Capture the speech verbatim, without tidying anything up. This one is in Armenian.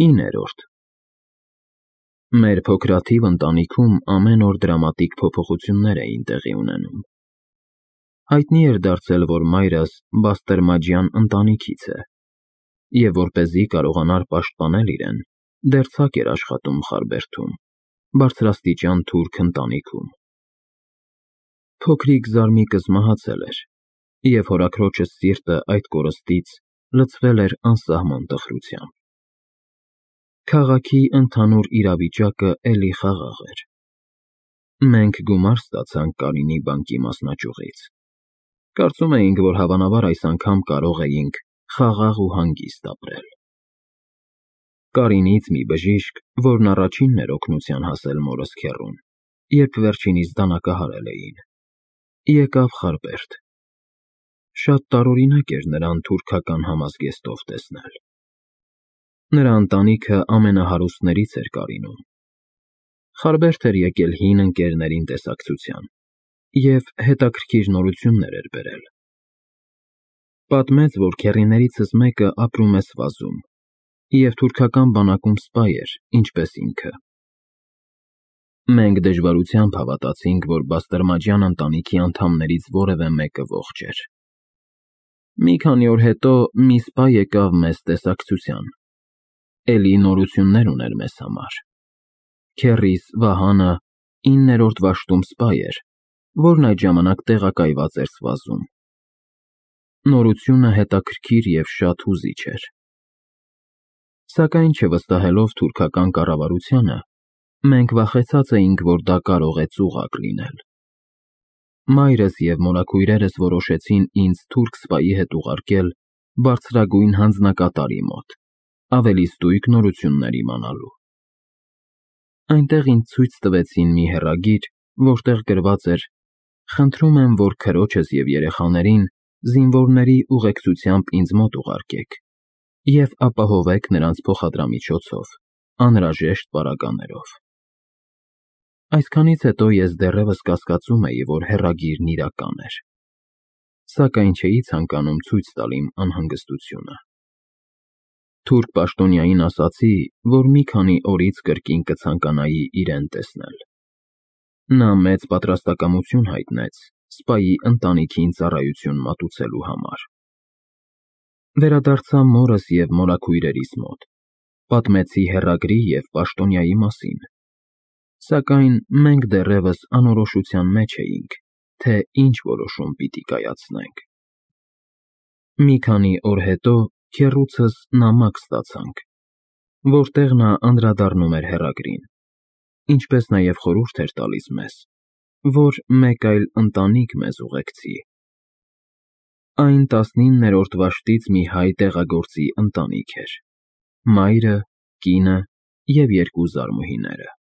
իններորդ Մեր փոքրաթիվ ընտանիքում ամեն օր դրամատիկ փոփոխություններ էին տեղի ունենում։ Հայտնի էր դարձել, որ մայրս բաստերմաջյան ընտանիքից է, և որպեսզի կարողանար պաշտպանել իրեն, դեռ ցակ էր աշխատում Խարբերդում, բարձրաստիճան թուրք ընտանիքում։ Փոքրիկ զարմիկս մահացել էր, և հորաքրոջս սիրտը այդ կորստից լցվել էր անսահման տխրությամբ։ Քաղաքի ընդհանուր իրավիճակը էլի խաղաղ էր։ Մենք գումար ստացանք Կարինի բանկի մասնաճյուղից։ Կարծում էինք, որ հավանաբար այս անգամ կարող էինք խաղաղ ու հանգիստ ապրել։ Կարինից մի բժիշկ, որն առաջինն էր օգնության հասել մորս քեռուն, երբ վերջինիս դանակահարել էին, եկավ Խարբերդ։ Շատ տարօրինակ էր նրան թուրքական համազգեստով տեսնել։ Նրա ընտանիքը ամենահարուստներից էր Կարինում։ Խարբերդ էր եկել հին ընկերներին տեսակցության և հետաքրքիր նորություններ էր բերել։ Պատմեց, որ քեռիներիցս մեկը ապրում է Սվազում և թուրքական բանակում սպա էր, ինչպես ինքը։ Մենք դժվարությամբ հավատացինք, որ բաստերմաջյան ընտանիքի անդամներից որևէ մեկը ողջ էր։ Մի քանի օր հետո մի սպա եկավ մեզ տեսակցության, էլի նորություններ ուներ մեզ համար։ Քեռիս Վահանը իններորդ վաշտում սպա էր, որն այդ ժամանակ տեղակայված էր Սվազում։ Նորությունը հետաքրքիր և շատ հուզիչ էր։ Սակայն չվստահելով թուրքական կառավարությանը, մենք վախեցած էինք, որ դա կարող է ծուղակ լինել։ Մայրս և մորաքույրերս որոշեցին ինձ թուրք սպայի հետ ուղարկել բարձրագույն հանձնակատարի մոտ, ավելի ստույգ նորություններ իմանալու։ Այնտեղ ինձ ցույց տվեցին մի հեռագիր, որտեղ գրված էր. «Խնդրում եմ, որ քրոջս և երեխաներին զինվորների ուղեկցությամբ ինձ մոտ ուղարկեք և ապահովեք նրանց փոխադրամիջոցով, անհրաժեշտ պարագաներով»։ Այսքանից հետո ես դեռևս կասկածում էի, որ հեռագիրն իրական էր, սակայն չէի ցանկանում ցույց տալ իմ անհանգստությունը։ Թուրք պաշտոնյային ասացի, որ մի քանի օրից կրկին կցանկանայի իրեն տեսնել։ Նա մեծ պատրաստակամություն հայտնեց սպայի ընտանիքին ծառայություն մատուցելու համար։ Վերադարձա մորս և մորաքույրերիս մոտ, պատմեցի հեռագրի և պաշտոնյայի մասին, սակայն մենք դեռևս անորոշության մեջ էինք, թե ինչ որոշում պիտի կայացնենք։ Մի քանի օր հետո քեռուցս նամակ ստացանք, որտեղ նա անդրադառնում էր հեռագրին, ինչպես նաև խորհուրդ էր տալիս մեզ, որ մեկ այլ ընտանիք մեզ ուղեկցի։ Այն տասնիններորդ վաշտից մի հայ տեղագործի ընտանիք էր՝ մայրը, կինը և երկու զարմուհիները։